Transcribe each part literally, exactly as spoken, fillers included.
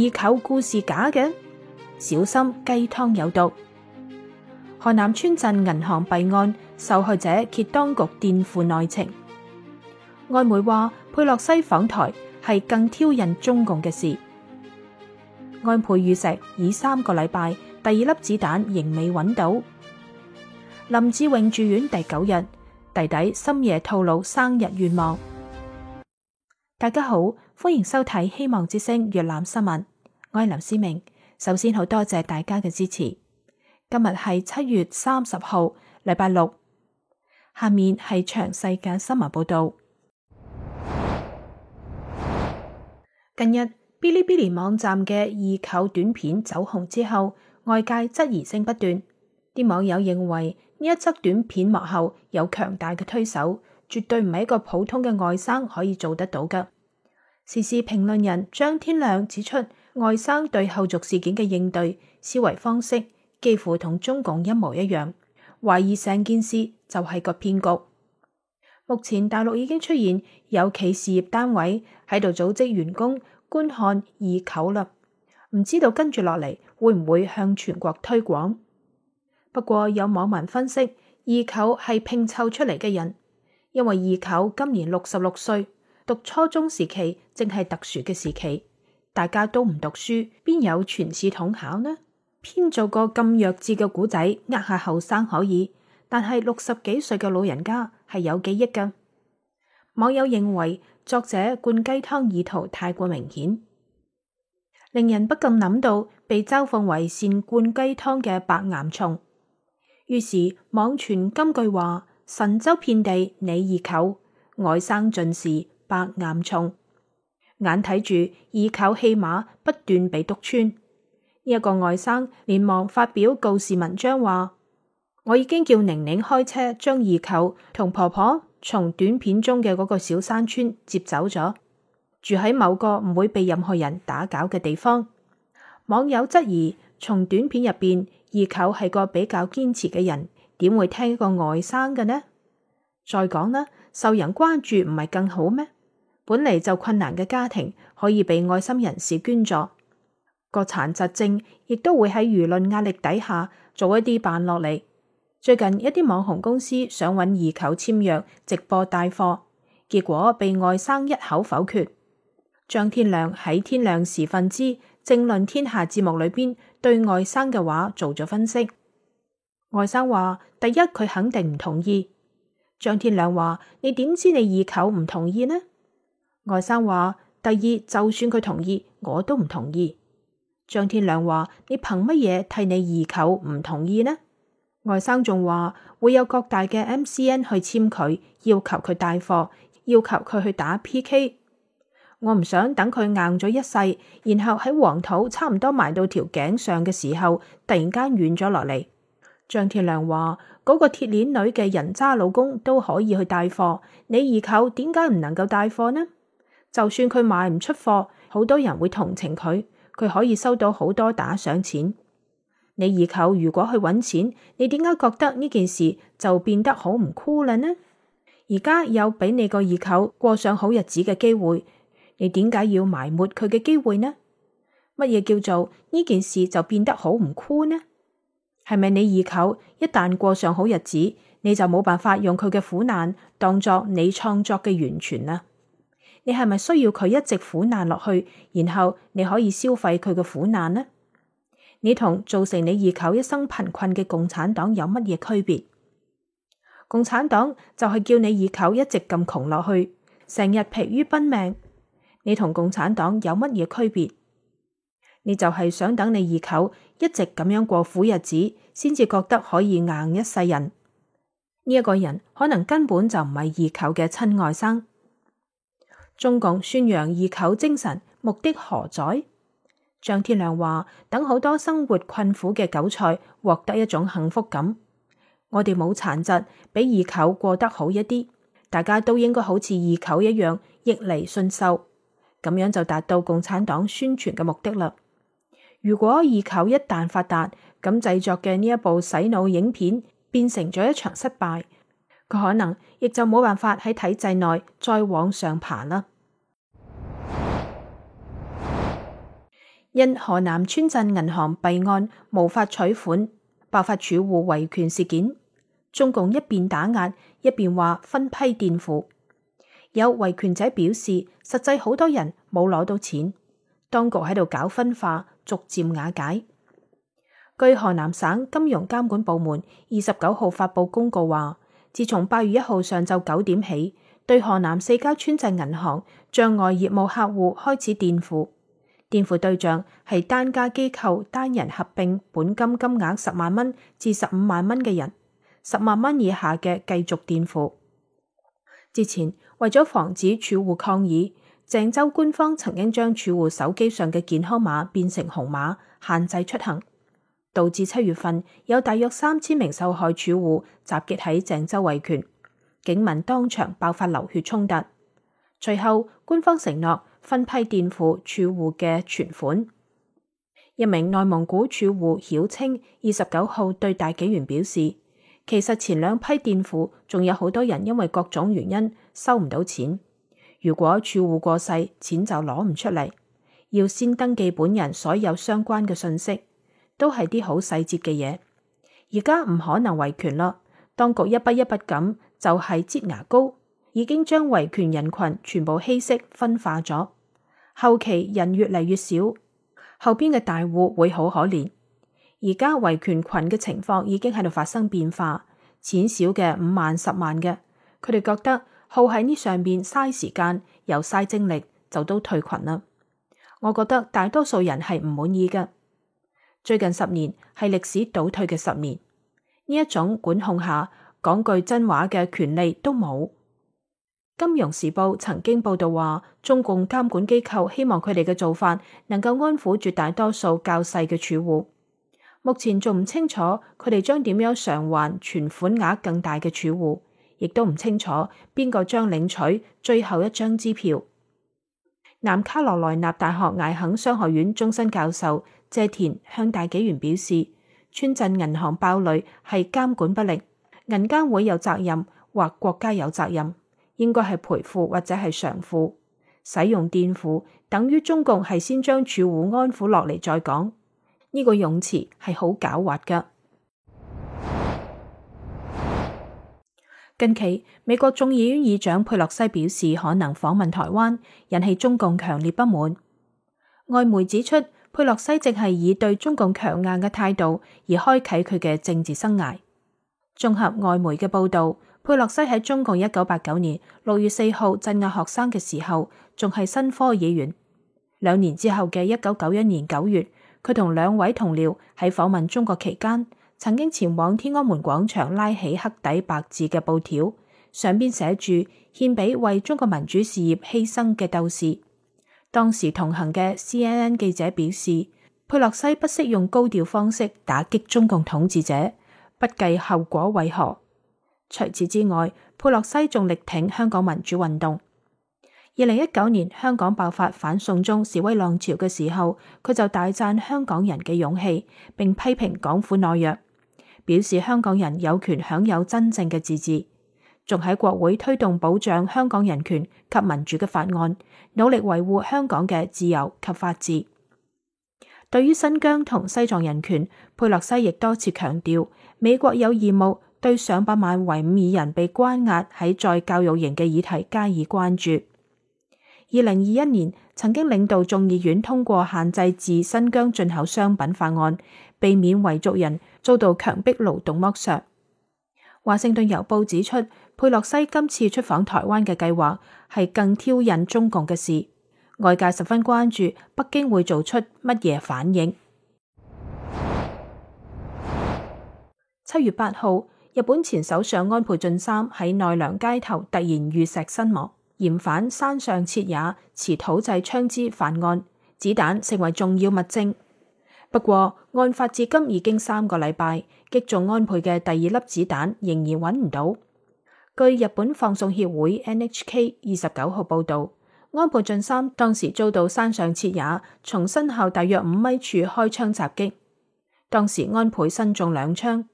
二舅故事假嘅，小心雞湯有毒。河南村鎮銀行弊案，受害者揭當局墊付內情。外媒話佩洛西訪台係更挑釁中共嘅事。安倍遇刺已三個禮拜，第二粒子彈仍未揾到。林志穎住院第九日，弟弟深夜透露生日願望。大家好，歡迎收睇希望之聲粵覽新聞，我係林思明。首先好多謝大家嘅支持。今日係七月三十號，禮拜六。下面係詳細嘅新聞報道。近日，嗶哩嗶哩網站嘅二舅短片走紅之後，外界質疑聲不斷。啲網友認為呢一則短片幕後有強大嘅推手，絕對唔係一個普通嘅外甥可以做得到嘅。時事評論人張天亮指出，外甥對後續事件嘅應對思維方式幾乎同中共一模一樣，懷疑成件事就係個騙局。目前大陸已經出現有企事業單位喺度組織員工觀看二舅啦，唔知道跟住落嚟會唔會向全國推廣。不過有網民分析，二舅係拼湊出嚟嘅人，因為二舅今年六十六歲，讀初中時期正係特殊嘅時期，大家都唔讀書，邊有全市統考呢？編做個咁弱智嘅古仔，呃下後生可以，但係六十幾歲嘅老人家係有記憶㗎。網友認為作者灌雞湯意圖太過明顯，令人不禁諗到被嘲諷為善灌雞湯嘅白岩松。於是網傳金句話：神州遍地你二舅，外甥盡是白岩松。眼睇住二舅戲碼不斷被督穿，呢、這、一個外甥連忙發表告示文章話：我已經叫寧寧開車將二舅同婆婆從短片中嘅嗰個小山村接走咗，住喺某個唔會被任何人打攪嘅地方。網友質疑，從短片入邊，二舅係個比較堅持嘅人，點會聽一個外甥嘅呢？再講啦，受人關注唔係更好咩？本嚟就困難嘅家庭可以被愛心人士捐助，個殘疾症亦都會喺輿論壓力底下做一啲扮落嚟。最近一啲網紅公司想揾二舅簽約直播帶貨，結果被外甥一口否決。張天亮喺天亮時分之政論天下節目裏邊對外甥嘅話做咗分析。外甥話：第一，佢肯定唔同意。張天亮話：你點知你二舅唔同意呢？外甥話：第二，就算佢同意，我都唔同意。張天亮話：你憑乜嘢替你二舅唔同意呢？外甥仲話會有各大嘅 M C N 去簽佢，要求佢帶貨，要求佢去打 P K。我唔想等佢硬咗一世，然後喺黃土差唔多埋到條頸上嘅時候，突然間軟咗落嚟。張天亮話：嗰個鐵鏈女嘅人渣老公都可以去帶貨，你二舅點解唔能夠帶貨呢？就算佢賣唔出貨，好多人會同情佢，佢可以收到好多打賞錢。你二舅如果去揾錢，你點解覺得呢件事就變得好唔酷啦呢？而家有俾你個二舅過上好日子嘅機會，你點解要埋沒佢嘅機會呢？乜嘢叫做呢件事就變得好唔酷呢？係咪你二舅一旦過上好日子，你就冇辦法用佢嘅苦難當作你創作嘅源泉啊？你係咪需要佢一直苦難落去，然後你可以消費佢嘅苦難呢？你同造成你二舅一生貧困嘅共產黨有乜嘢區別？共產黨就係叫你二舅一直咁窮落去，成日疲於奔命。你同共產黨有乜嘢區別？你就係想等你二舅一直咁樣過苦日子，先至覺得可以硬一世人。呢、這、一個人可能根本就唔係二舅嘅親外甥。中共宣揚二舅精神，目的何在？張天亮話：等好多生活困苦嘅韭菜獲得一種幸福感。我哋冇殘疾，比二舅過得好一啲，大家都應該好似二舅一樣逆嚟順受，咁樣就達到共產黨宣傳嘅目的啦。如果二舅一旦發達，咁製作嘅呢一部洗腦影片變成咗一場失敗，佢可能亦就冇辦法喺體制內再往上爬啦。因河南村鎮銀行弊案無法取款，爆發儲戶維權事件。中共一邊打壓，一邊話分批墊付。有維權者表示，實際好多人冇攞到錢，當局喺度搞分化，逐漸瓦解。據河南省金融監管部門二十九號發布公告話，自從八月一號上晝九點起，對河南四家村鎮銀行賬外業務客戶開始墊付，墊付對象係單家機構單人合併本金金額十萬蚊至十五萬蚊嘅人，十萬蚊以下嘅繼續墊付。之前為咗防止儲戶抗議，鄭州官方曾經將儲戶手機上嘅健康碼變成紅碼，限制出行，導致七月份有大約三千名受害儲戶集結喺鄭州維權，警民當場爆發流血衝突。隨後官方承諾分批墊付儲戶嘅存款。一名內蒙古儲戶曉清二十九號對大紀元表示，其實前兩批墊付仲有好多人因為各種原因收唔到錢，如果儲戶過世，錢就攞唔出嚟，要先登記本人所有相關嘅信息，都係啲好細節嘅嘢。而家唔可能維權啦，當局一筆一筆咁就係擠牙膏，已經將維權人群全部稀釋分化咗。後期人越嚟越少，後邊嘅大戶會好可憐。而家維權群嘅情況已經喺度發生變化，錢少嘅五萬十萬嘅，佢哋覺得耗喺呢上邊嘥時間又嘥精力，就都退群啦。我覺得大多數人係唔滿意嘅。最近十年係歷史倒退嘅十年，呢一種管控下講句真話嘅權利都冇。金融時報曾經報道話，中共監管機構希望佢哋嘅做法能夠安撫絕大多數較細嘅儲戶。目前仲唔清楚佢哋將點樣償還存款額更大嘅儲戶，亦都唔清楚邊個將領取最後一張支票。南卡羅來納大學艾肯商學院終身教授謝田向大紀元表示，村鎮銀行爆雷係監管不力，銀監會有責任或國家有責任，應該係賠付或者係償付。使用墊付等於中共係先將儲戶安撫落嚟再講。呢個用詞係好狡猾㗎。近期美國眾議院議長佩洛西表示可能訪問台灣，引起中共強烈不滿。外媒指出，佩洛西正係以對中共強硬嘅態度而開啟佢嘅政治生涯。綜合外媒嘅報道，佩洛西喺中共一九八九年六月四號鎮壓學生嘅時候，仲係新科議員。兩年之後嘅一九九一年九月，佢同兩位同僚喺訪問中國期間，曾經前往天安門廣場拉起黑底白字嘅布條，上邊寫住獻俾為中國民主事業犧牲嘅鬥士。當時同行嘅 C N N 記者表示，佩洛西不惜用高調方式打擊中共統治者，不計後果為何。除此之外，佩洛西仲力挺香港民主運動。二零一九年香港爆發反送中示威浪潮嘅時候，佢就大讚香港人嘅勇氣，並批評港府懦弱，表示香港人有權享有真正嘅自治，仲喺國會推動保障香港人權及民主嘅法案，努力維護香港嘅自由及法治。對於新疆同西藏人權，佩洛西亦多次強調，美國有義務對上百萬維吾爾人被關押喺在教育營嘅議題加以關注。二零二一年曾經領導眾議院通過限制自新疆進口商品法案，避免維族人遭到強迫勞動剝削。華盛頓郵報指出，佩洛西今次出訪台灣嘅計劃係更挑釁中共嘅事，外界十分關注北京會做出乜嘢反應。七月八號，日本前首相安倍晉三喺奈良街頭突然遇石身亡。嫌犯山上徹也持土製槍支犯案，子彈成為重要物證。不過案發至今已經三個禮拜，擊中安倍嘅第二粒子彈仍然揾唔到。據日本放送協會 N H K 二十九號報道，安倍晉三當時遭到山上徹也從身後大約五米處開槍襲擊，當時安倍身中兩槍。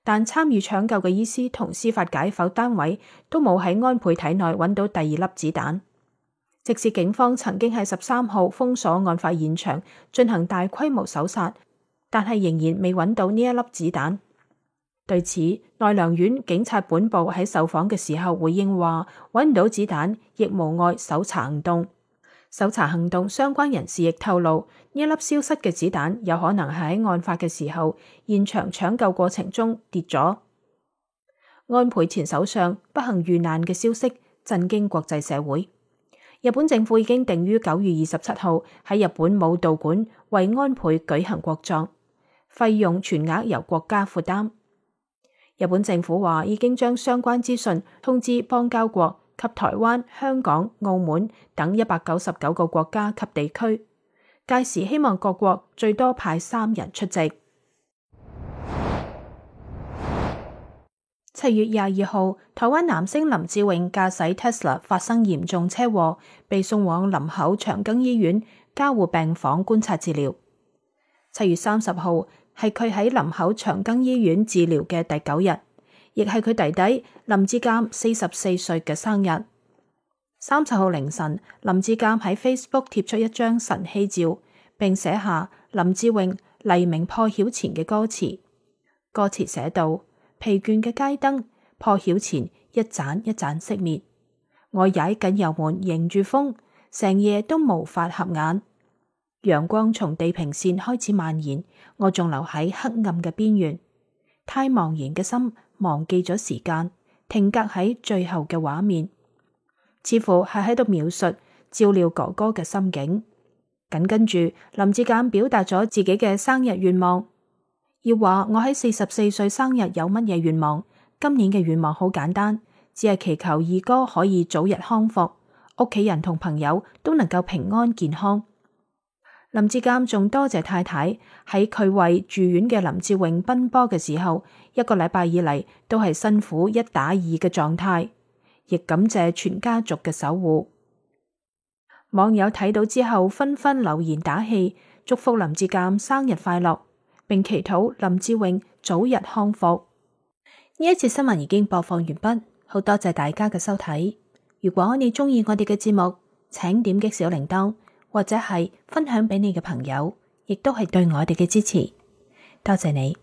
但參與搶救嘅醫師同司法解剖單位都冇喺安倍體內揾到第二粒子彈。即使警方曾經喺十三號封鎖案發現場進行大規模搜查，但係仍然未揾到呢一粒子彈。對此，奈良縣警察本部喺受訪嘅時候回應話，揾唔到子彈亦無礙搜查行動。搜查行動相關人士亦透露，呢一粒消失嘅子彈有可能係喺案發嘅時候現場搶救過程中跌咗。安倍前首相不幸遇難嘅消息震驚國際社會。日本政府已經定於九月二十七號喺日本武道館為安倍舉行國葬，費用全額由國家負擔。日本政府話已經將相關資訊通知邦交國及台灣、香港、澳門等一百九十九個國家及地區，屆時希望各國最多派三人出席。七月廿二號，台灣男星林志穎駕駛 Tesla 發生嚴重車禍，被送往林口長庚醫院加護病房觀察治療。七月三十號係佢喺林口長庚醫院治療嘅第九日，亦係佢弟弟林志堅四十四歲嘅生日。三十號凌晨，林志堅喺 Facebook 貼出一張晨曦照，並寫下林志穎黎明破曉前嘅歌詞。歌詞寫道：疲倦嘅街燈破曉前一盞一盞熄滅，我踩緊油門迎住風，成夜都無法合眼。陽光從地平線開始蔓延，我仲留喺黑暗嘅邊緣。太茫然嘅心忘記咗時間，停格喺最後嘅畫面，似乎係喺度描述照料哥哥嘅心境。緊跟住，林志堅表達咗自己嘅生日願望。要話我喺四十四歲生日有乜嘢願望？今年嘅願望好簡單，只係祈求二哥可以早日康復，屋企人同朋友都能夠平安健康。林志堅仲多謝太太喺佢為住院嘅林志穎奔波嘅時候，一個禮拜以嚟都係辛苦一打二嘅狀態，亦感謝全家族嘅守護。網友睇到之後紛紛留言打氣，祝福林志堅生日快樂，並祈禱林志穎早日康復。呢一次新聞已經播放完畢，好多謝大家嘅收睇。如果你鍾意我哋嘅節目，請點擊小鈴鐺，或者係分享俾你嘅朋友，亦都係對我哋嘅支持。多謝你。